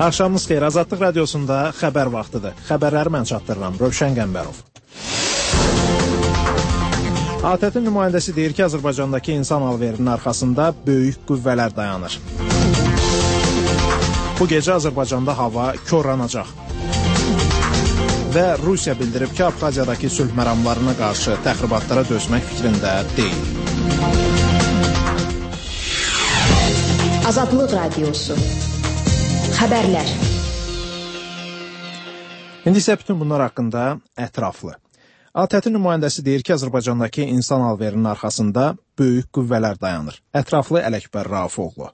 Axşamınız xeyir. Azadlıq radiosunda xəbər vaxtıdır. Xəbərləri mən çatdırıram. Rövşən Qəmbərov. ATƏT-in nümayəndəsi deyir ki, Azərbaycandakı insan alverinin arxasında böyük qüvvələr dayanır. Bu gecə Azərbaycanda hava korlanacaq. Və Rusiya bildirib ki, Abxaziyadakı sülh məramlarına qarşı təxribatlara dözmək fikrində deyil. Azadlıq radiosu. Xəbərlər. İndi isə bütün bunlar haqqında ətraflı. ATƏT-in nümayəndəsi deyir ki, Azərbaycandakı insan alverinin arxasında böyük qüvvələr dayanır. Ətraflı Ələkbər Raufoğlu.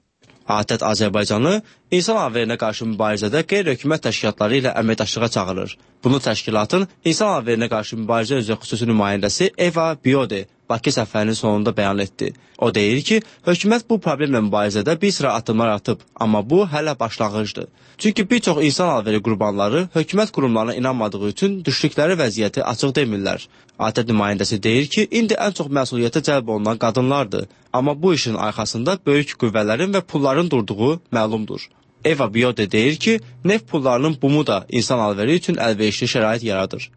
ATƏT Azərbaycanı insan alverinə qarşı mübarizədə qeyri-hökumət təşkilatları ilə əməkdaşlığa çağırır. Bunu təşkilatın insan alverinə qarşı mübarizə üzrə xüsusi nümayəndəsi Eva Biode Bakı səfərinin sonunda bəyan etdi. O deyir ki, hökumət bu problemlə mübarizədə bir sıra addımlar atıb, amma bu hələ başlanğıcdır. Çünki bir çox insan alveri qurbanları hökumət qurumlarına inanmadığı üçün düşdükləri vəziyyəti açıq demirlər. ATƏT nümayəndəsi deyir ki, indi ən çox məsuliyyətə cəlb olunan qadınlardır. Amma bu işin arxasında böyük qüvvələrin və pulların durduğu məlumdur. Eva Biode deyir ki, neft pullarının bumu da insan alveri üçün əlverişli şərait yaradır.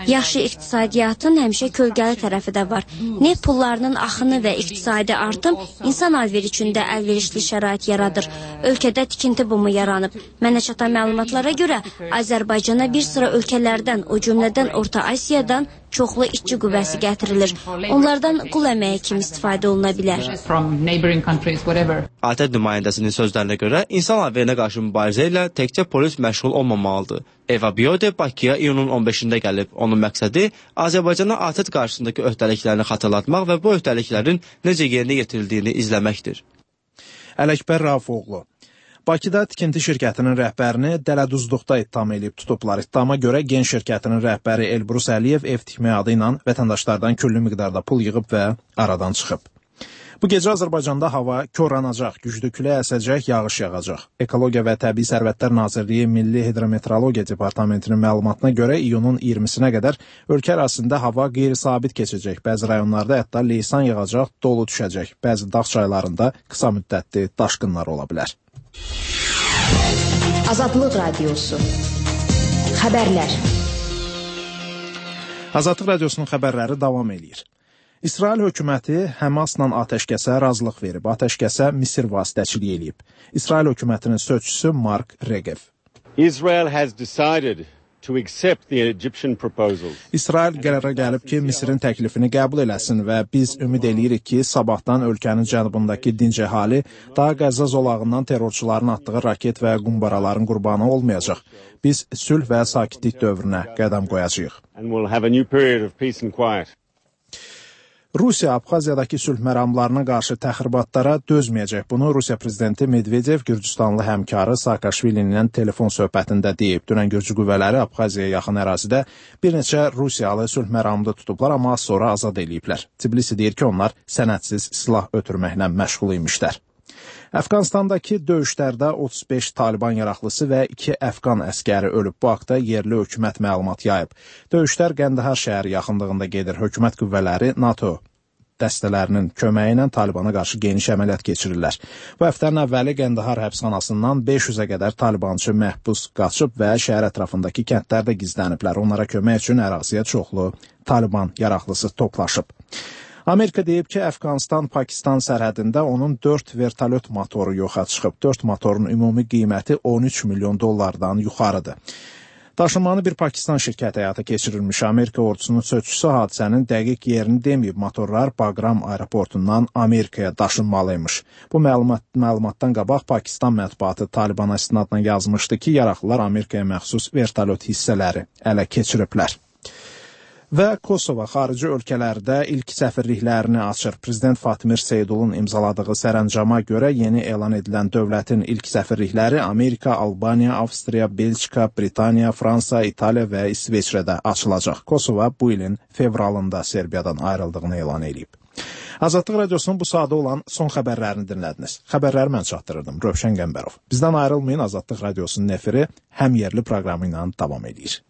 Yaxşı iqtisadiyyatın həmişə kölgəli tərəfi də var. Neft pullarının axını və iqtisadi artım insan alveri üçün də əlverişli şərait yaradır. Ölkədə tikinti bumu yaranıb. Mənə çatan məlumatlara görə Azərbaycana bir sıra ölkələrdən, o cümlədən Orta Asiyadan çoxlu işçi qüvvəsi gətirilir. Onlardan qul əməyi kimi istifadə oluna bilər. ATƏT nümayəndəsinin sözlərinə görə insan alverinə qarşı mübarizə ilə təkcə polis məşğul olmamalıdır. Eva Biode Bakıya iyunun 15-də gəlib. Onun məqsədi Azərbaycana ATƏT qarşısındakı öhdəliklərini xatırlatmaq və bu öhdəliklərin necə yerinə yetirildiyini izləməkdir. Ələkbər Raufoğlu. Bakıda tikinti şirkətinin rəhbərini dələduzluqda ittiham edib tutublar. İttihama görə Gen şirkətinin rəhbəri Elbrus Əliyev ev tikmək adı ilə vətəndaşlardan küllü miqdarda pul yığıb və aradan çıxıb. Bu gecə Azərbaycanda hava korlanacaq, güclü külək əsəcək, yağış yağacaq. Ekologiya və Təbii Sərvətlər Nazirliyi Milli Hidrometeorologiya Departamentinin məlumatına görə iyunun 20-sinə qədər ölkə ərazisində hava qeyri-sabit keçəcək. Bəzi rayonlarda hətta leysan yağacaq, dolu düşəcək. Bəzi dağ çaylarında qısa müddətli daşqınlar ola bilər. Azadlıq radiosu. Xəbərlər. Azadlıq radiosunun xəbərləri davam eləyir. İsrail hökuməti Həmasla atəşkəsə razılıq verib. Atəşkəsə Misir vasitəçiliyi eləyib. İsrail hökumətinin sözçüsü Mark Regev. Israel has decided to accept the Egyptian proposals. İsrail qərara gəlib ki, Misirin təklifini qəbul eləsin və biz ümid eləyirik ki, sabahdan ölkənin cənubundakı dinc əhali daha Qəzza zolağından terrorçuların atdığı raket və qumbaraların qurbanı olmayacaq. Biz sülh və sakitlik dövrünə qədəm qoyacağıq. And we'll have a new period of peace and quiet. Rusiya Abxaziyadakı sülh məramlarına qarşı təxribatlara dözməyəcək. Bunu Rusiya prezidenti Medvedev Gürcüstanlı həmkarı Saakashvili ilə telefon söhbətində deyib. Dünən Gürcü qüvvələri Abxaziyaya yaxın ərazidə bir neçə Rusiyalı sülh məramında tutublar, amma az sonra azad eləyiblər. Tbilisi deyir ki, onlar sənədsiz silah ötürməklə məşğul imişlər. Əfqanistandakı döyüşlərdə 35 Taliban yaraqlısı və 2 Əfqan əskəri ölüb. Bu haqda yerli hökumət məlumat yayıb. Döyüşlər Qəndahar şəhəri yaxınlığında gedir. Hökumət qüvvələri NATO dəstələrinin köməyi ilə Talibana qarşı geniş əməliyyat keçirirlər. Bu həftənin əvvəli Qəndahar həbsxanasından 500-ə qədər Talibançı məhbus qaçıb və şəhər ətrafındakı kəndlərdə gizləniblər. Onlara kömək üçün əraziyə çoxlu Taliban yaraqlısı toplaşıb. Amerika deyib ki, Əfqanistan-Pakistan sərhədində onun 4 vertolyot motoru yoxa çıxıb. 4 motorun ümumi qiyməti 13 milyon dollardan yuxarıdır. Daşınmanı bir Pakistan şirkəti həyata keçirilmiş. Amerika ordusunun sözçüsü hadisənin dəqiq yerini deməyib. Motorlar Bagram aeroportundan Amerikaya daşınmalıymış. Bu məlumatdan qabaq Pakistan mətbuatı Talibana istinadla yazmışdı ki, yaraqlılar Amerikaya məxsus vertolyot hissələri ələ keçiriblər. Və Kosova xarici ölkələrdə ilk səfirliklərini açır. Prezident Fatmir Seydulun imzaladığı sərəncama görə yeni elan edilən dövlətin ilk səfirlikləri Amerika, Albaniya, Avstriya, Belçika, Britaniya, Fransa, İtaliya və İsveçrədə açılacaq. Kosova bu ilin fevralında Serbiyadan ayrıldığını elan edib. Azadlıq radiosunun bu saata olan son xəbərlərini dinlədiniz. Xəbərləri mən çatdırırdım. Rövşən Qəmbərov. Bizdən ayrılmayın, Azadlıq radiosunun efiri həm yerli proqramı ilə davam edir.